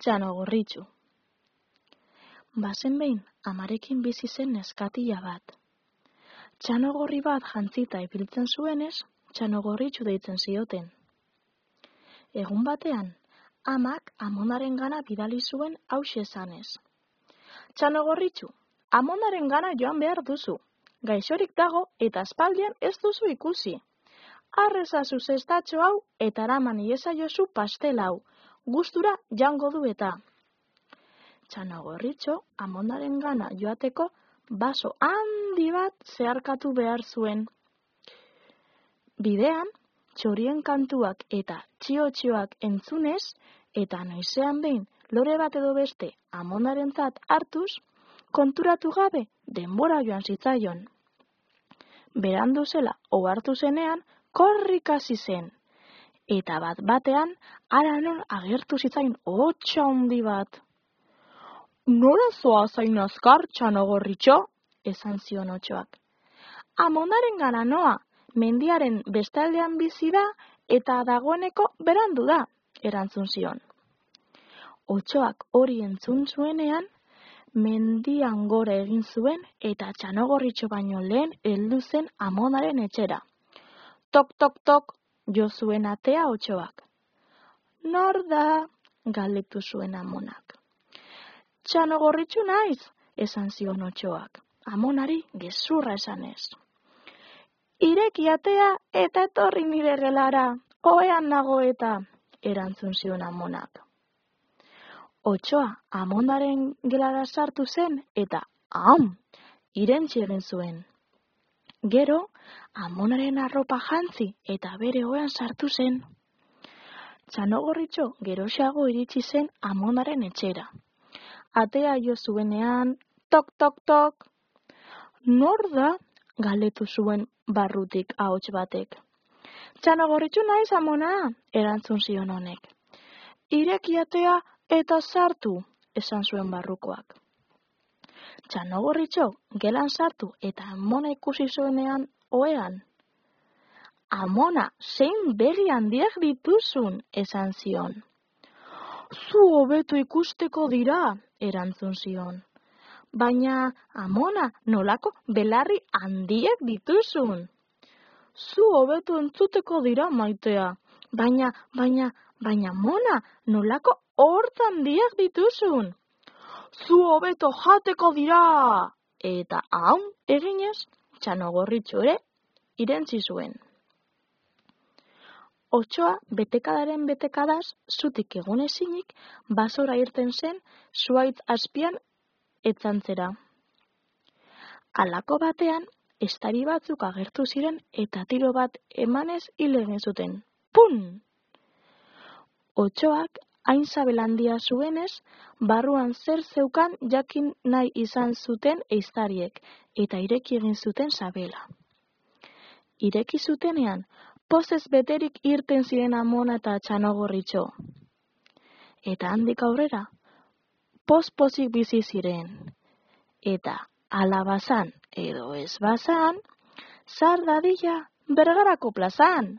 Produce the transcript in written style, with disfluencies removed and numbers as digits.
Txanogorritxu. Bazen behin, amarekin bizi zen neskatila bat. Txanogorri bat jantzita ibiltzen zuenez, Txanogorritxu deitzen zioten. Egun batean, amak amonaren gana bidali zuen hauxe esanez. Txanogorritxu, amonaren gana joan behar duzu. Gaixorik dago eta aspaldian ez duzu ikusi. Arrezazu zestatxo hau eta eraman iezaiozu pastel hau. Gustura jango du eta. Txanogorritxo amonaren gana joateko baso handi bat zeharkatu behar zuen. Bidean, txorien kantuak eta txio-txioak entzunez, eta noizean behin lore bat edo beste amonarentzat hartuz, konturatu gabe denbora joan zitzaion. Berandu zela ohartu zenean, korrika hasi zen. Eta bat-batean, hara non agertu zitzaion hotsa handi bat. Nora zoaz hain azkar, Txanogorritxo? Esan zion otsoak. Amonaren gana noa, mendiaren bestaldean bizi da eta dagoeneko berandu da, erantzun zion. Otsoak hori entzun zuenean, mendian gora egin zuen eta Txanogorritxo baino lehen heldu zen amonaren etxera. Tok, tok, tok, jo zuen atea otsoak. Nor da? Galdetu zuen amonak. Txanogorritxu naiz, esan zion otsoak. Amonari gezurra esanez. Ireki atea eta etorri nire gelara, ohean nago eta, erantzun zion amonak. Otsoa amonaren gelara sartu zen eta, irentsi egin zuen. Gero, amonaren arropa jantzi eta bere ohean sartu zen. Txanogorritxo geroxeago iritsi zen amonaren etxera. Atea jo zuenean, tok, tok, tok. Nor da? Galdetu zuen barrutik ahots batek. Txanogorritxu naiz amona, erantzun zion honek. Ireki atea eta sartu, esan zuen barrukoak. Txanogorritxo gelan sartu eta amona ikusi zuenean ohean. Amona, zein begi handiak dituzun, esan zion. Zu hobeto ikusteko dira, erantzun zion. Baina, amona, nolako belarri handiak dituzun. Zu hobeto entzuteko dira, maitea. Baina, amona, nolako hortz handiak dituzun. Zu hobeto jateko dira. Eta eginez, Txanogorritxo ere irentzi zuen. Otsoa betekadaren betekadaz zutik egon ezinik basora irten zen zuhaitz azpian etzantzera. Halako batean, estari batzuk agertu ziren eta tiro bat emanez hil egin zuten. Pun! Otsoak hain sabel handia zuenez, barruan zer zeukan jakin nahi izan zuten ehiztariek eta ireki egin zuten sabela. Ireki zutenean, pozez beterik irten ziren amona eta Txanogorritxo. Eta handik aurrera, poz-pozik bizi ziren. Eta ala bazan edo ez bazan, zar dadila Bergarako plazan.